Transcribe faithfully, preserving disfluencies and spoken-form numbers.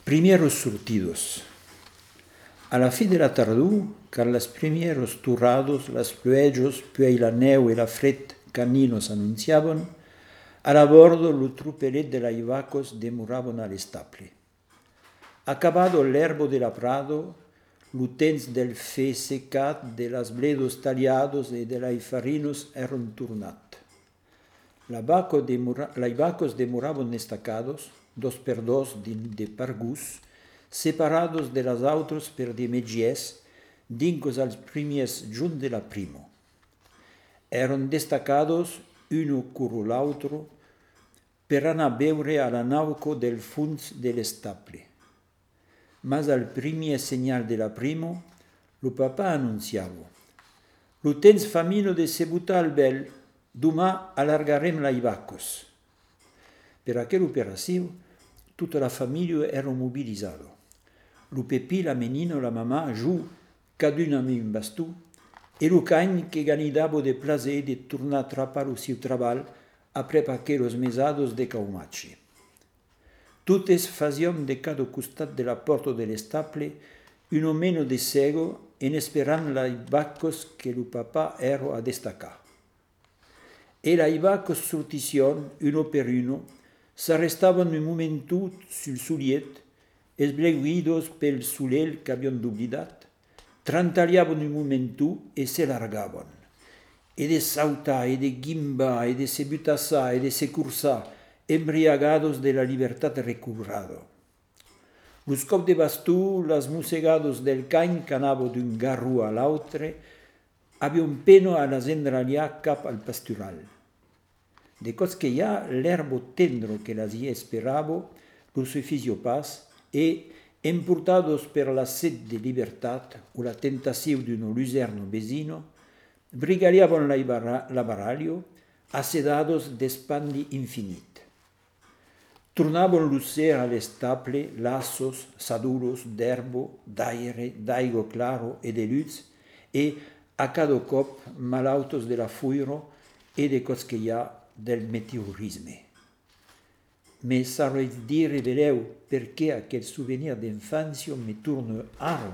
Primièras sortidas. A la fin de la tardor, quand las primièras torradas, las pluèjas, puèi la nèu e la fred canina s'anonciavan, a la bòrda lo tropelet de las vacas demoravan a l'estable. Acabada l'èrba de la prada, lo temps del fen secat, de las bledas talhadas e de las farinas èran tornat. La vaca demora-, las vacas demoravan estacadas, dos per dos dins de pargons, separadas de las autras per de mètges, dincas als primièrs jorns de la prima. Èran destacadas una quora l'autra per anar beure a la nauca del fons de l'estable. Mas al primièr senhal de la prima, lo papà anonciava: lo temps fa mina de se botar al bèl, doman alargarem las vacas. Per aquela operacion, tota la familha èra mobilizada. Lo Pepin, la menina, la mamà, jo, cadun amb un baston, e lo can que ganidava de plaser de tornar trapar lo sieu trabalh aprèp aquelas mesadas de caumatge. Totes fasiam de cada costat de la pòrta de l'estable una mena de sèga en esperant las vacas que lo papà èra a destacar. E las vacas sortissián, una per una, s'arrestavan un momenton sul soliet, esbleguidas pel solelh qu'avián doblidat, trantalhavan un momenton e se largavan. E de sautar, e de guimbar, e de se butassar, e de se corsar, embriagadas de la libertat recobrada. Los còps de baston, las mossegadas del can qu'anava d'un garron a l'autre, avián pena a las endralhar cap al pastural. De còps que i a, l'èrba tendra que las i esperava los sufissiá pas e, emportadas per la set de libertat o la tentacion d'una lusèrna vesina, brigalhavan la barra-, la barralha, assedadas d'espandi infinit. Tornavan lo ser a l'estable, lassas, sadolas d'èrba, d'aire, d'aiga clara e de lutz, e, a cada còp, malautas de la foira e de còps que i a del meteorisme. Me sauretz dire belèu perqué aquel sovenir d'enfància me torna ara?